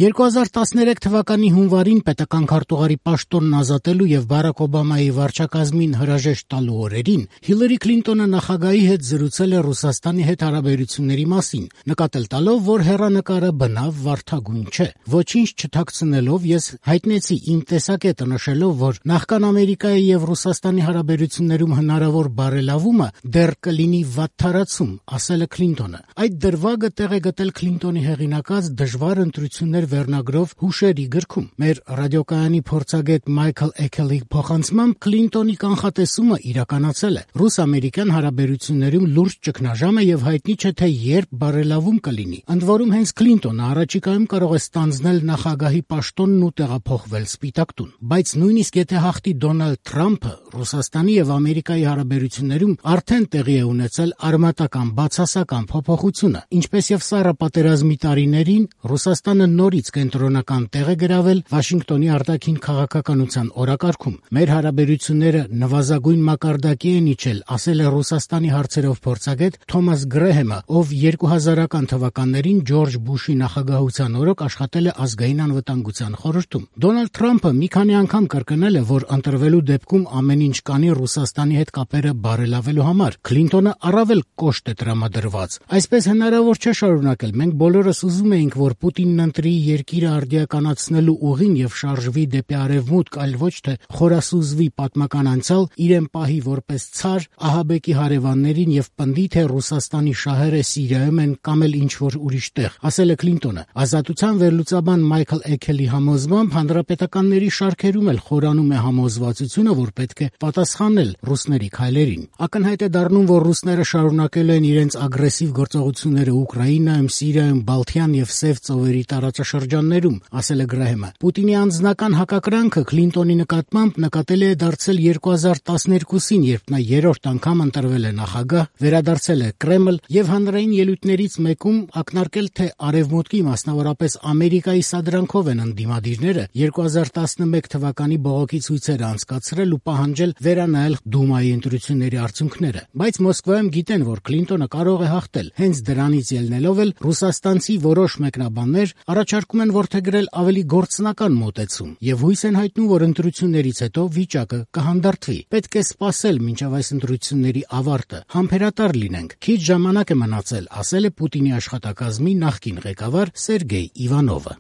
2013 թվականի հունվարին պետական քարտուղարի պաշտոնն ազատելու եւ Բարակ Օբամայի վարչակազմին հրաժեշտ տալու օրերին Հիլարի Քլինտոնը նախագահի հետ զրուցել է Ռուսաստանի հետ հարաբերությունների մասին, նկատել տալով, որ հեռանկարը բնավ վարդագույն չէ։ Ոչինչ չթաքցնելով ես հայտնեցի իմ տեսակետը, նշելով, որ նախքան Ամերիկայի եւ Ռուսաստանի հարաբերություններում հնարավոր բարելավումը դեռ կլինի վատթարացում, ասել է Քլինտոնը։ Այդ դրվագը տեղ է գտել Քլինտոնի հեղինակած «Դժվար ընտրություններ» վերնագրով հուշերի գրքում։ Մեր ռադիոկայանի փորձագետ Մայքլ Էքելի փոխանցմամբ Քլինտոնի կանխատեսումը իրականացել է։ Ռուս-ամերիկյան հարաբերություններում լուրջ ճգնաժամ է եւ հայտնի չէ թե երբ բարելավում կլինի։ Ընդ որում հենց Քլինտոնը առաջիկայում կարող է ստանձնել նախագահի պաշտոնն ու տեղափոխվել Սպիտակ տուն։ Բայց նույնիսկ եթե հաղթի Դոնալդ Թրամփը, Ռուսաստանի եւ Ամերիկայի հարաբերություններում արդեն տեղի է ունեցել արմատական բացասական փոփոխությունը, ինչպես եւ Սառը պատերազմի տարիներին Ռուսաստանը նորից կենտրոնական տեղ է գրավել Վաշինգտոնի արտաքին քաղաքականության օրակարգում։ Մեր հարաբերությունները նվազագույն մակարդակի են իջել, ասել է Ռուսաստանի հարցերով փորձագետ Թոմաս Գրեհեմը, ով 2000-ական թվականներին Ջորջ Բուշի նախագահության օրոք աշխատել է ազգային անվտանգության խորհրդում։ Դոնալդ Թրամփը մի քանի անգամ կրկնել է, որ ընտրվելու դեպքում ամեն ինչ կանի Ռուսաստանի հետ կապերը բարելավելու համար։ Քլինտոնը առավել կոշտ է տրամադրված։ Այսպես հնարավոր չէ շարունակել։ Մենք բոլորս ուզում էինք, որ Պուտինն ընտրի երկիրը արդիականացնելու ուղին եւ շարժվի դեպի արևմուտք, այլ ոչ թե խորասուզվի պատմական անցյալ, իրեն պահի որպես ցար, ահաբեկի հարևաններին եւ պնդի, թե Ռուսաստանի շահերը Սիրիայում են կամ էլ ինչ-որ ուրիշ տեղ, ասել է Քլինտոնը։ Ազատության վերլուծաբան Մայքլ Էքելի համոզմամբ հանրապետականների շարքերում էլ խորանում է համոզվածությունը, որ պետք է պատասխանել ռուսների քայլերին։ Ակնհայտ է դառնում, որ ռուսները շարունակելու են իրենց ագրեսիվ գործողությունները Ուկրաինայում, Սիրիայում, Բալթյան եւ Սև ծովերի տարածաշրջաններում, ասել է Գրահեմը։ Պուտինի անձնական հակակրանքը Քլինտոնի նկատմամբ նկատելի է դարձել 2012-ին, երբ նա երրորդ անգամ ընտրվել է նախագահ, վերադարձել է Կրեմլ եւ հանրային ելույթներից մեկում ակնարկել, թե Արևմուտքի, մասնավորապես Ամերիկայի սադրանքով են ընդդիմադիրները 2011 թվականի բողոքի ցույցերը անցկացրել ու պահանջել վերանայել Դումայի ընտրությունների արդյունքները։ Բայց Մոսկվայում գիտեն, որ Քլինտոնը կարող է հաղթել։ Հենց դրանից ելնելով էլ ռուսաստանցի որոշ մեկնաբաններ առաջարկում են որդեգրել ավելի գործնական մոտեցում եւ հույս են հայտնում, որ ընտրություններից հետո վիճակը կհանդարտվի։ Պետք է սպասել մինչև այս ընտրությունների ավարտը, համբերատար լինենք։ Քիչ ժամանակ է մնացել, ասել է Պուտինի աշխատակազմի նախկին ղեկավար Սերգեյ Իվանովը։